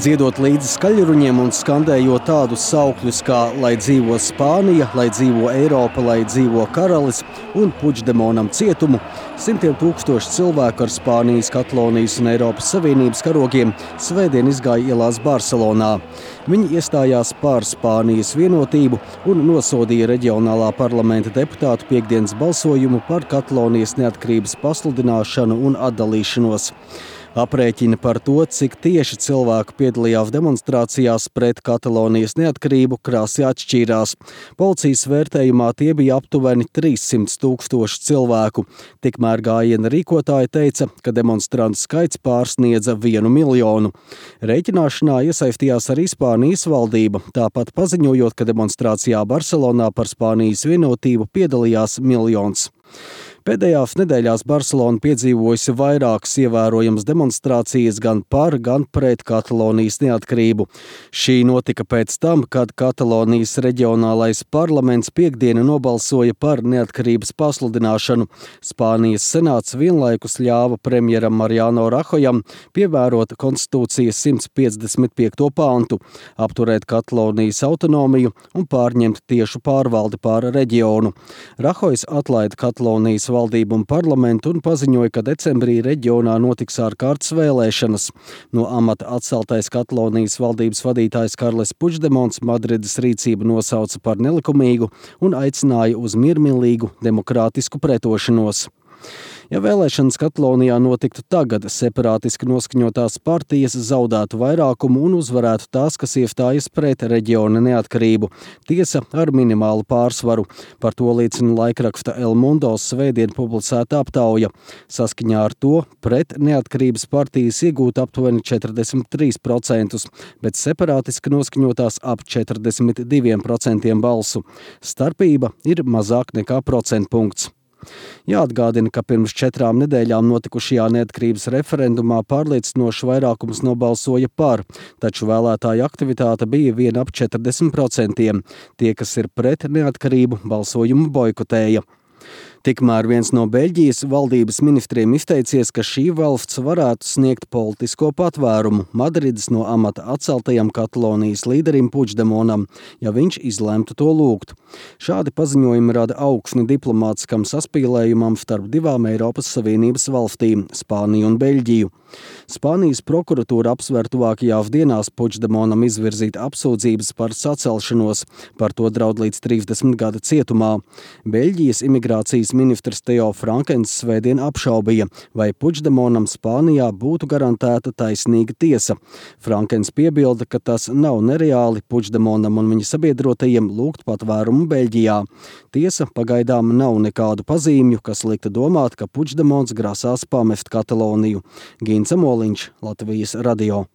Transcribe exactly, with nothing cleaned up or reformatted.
Dziedot līdzi skaļruņiem un skandējot tādus saukļus kā lai dzīvo Spānija, lai dzīvo Eiropa, lai dzīvo karalis un Puigdemonam cietumu, simtiem tūkstoši cilvēku ar Spānijas, Katalonijas un Eiropas Savienības karogiem svētdien izgāja ielās Barcelonā. Viņi iestājās par Spānijas vienotību un nosodīja reģionālā parlamenta deputātu piektdienas balsojumu par Katalonijas neatkarības pasludināšanu un atdalīšanos. Aprēķini par to, cik tieši cilvēku piedalījās demonstrācijās pret Katalonijas neatkarību, krāsi atšķīrās. Policijas vērtējumā tie bija aptuveni trīssimti tūkstoši cilvēku. Tikmēr gājiena rīkotāji teica, ka demonstrantu skaits pārsniedza vienu miljonu. Rēķināšanā iesaistījās arī Spānijas valdība, tāpat paziņojot, ka demonstrācijā Barcelonā par Spānijas vienotību piedalījās miljons. Pēdējās nedēļās Barcelona piedzīvojusi vairākas ievērojamas demonstrācijas gan par, gan pret Katalonijas neatkarību. Šī notika pēc tam, kad Katalonijas reģionālais parlaments piektdienu nobalsoja par neatkarības pasludināšanu. Spānijas senāts vienlaikus ļāva premjeram Mariano Rahojam pievērot konstitūcijas simts piecdesmit piekto pāntu, apturēt Katalonijas autonomiju un pārņemt tiešu pārvaldi pār reģionu. Rahojs atlaida Katalonijas valdību un parlamentu un paziņoja, ka decembrī reģionā notiks ārkārtas vēlēšanas. No amata atceltais Katalonijas valdības vadītājs Karles Puigdemons Madrides rīcību nosauca par nelikumīgu un aicināja uz miermīlīgu demokrātisku pretošanos. Ja vēlēšanas Katalonijā notiktu tagad, separātiski noskaņotās partijas zaudētu vairākumu un uzvarētu tās, kas iestājas pret reģiona neatkarību. Tiesa ar minimālu pārsvaru. Par to liecina laikraksta El Mundo svētdien publicēta aptauja. Saskaņā ar to pret neatkarības partijas iegūt aptuveni četrdesmit trīs procentus, bet separātiski noskaņotās ap četrdesmit diviem procentiem balsu. Starpība ir mazāk nekā procentpunkts. Jāatgādina, ka pirms četrām nedēļām notikušajā neatkarības referendumā pārliecinošs vairākums nobalsoja par, taču vēlētāju aktivitāte bija vien ap četrdesmit procentiem. Tie, kas ir pret neatkarību, balsojumu boikotēja. Tikmēr viens no Beļģijas valdības ministriem izteicies, ka šī valsts varētu sniegt politisko patvērumu Madrides no amata atceltajam Katalonijas līderim Puigdemonam, ja viņš izlemtu to lūgt. Šādi paziņojumi rada augsni diplomātiskam saspīlējumam starp divām Eiropas Savienības valstīm – Spāniju un Beļģiju. Spānijas prokuratūra apsver tuvākajās dienās Puigdemonam izvirzīt apsūdzības par sacelšanos, par to draud līdz trīsdesmit gada cietumā. Beļģijas imigrācijas ministrs Theo Frankens svētdien apšaubīja, vai Puigdemonam Spānijā būtu garantēta taisnīga tiesa. Frankens piebilda, ka tas nav nereāli Puigdemonam un viņa sabiedrotajiem lūgt patvērumu Beļģijā. Tiesa pagaidām nav nekādu pazīmju, kas liktu domāt, ka Puigdemons grasās pamest Kataloniju. Gints Moliņš, Latvijas radio.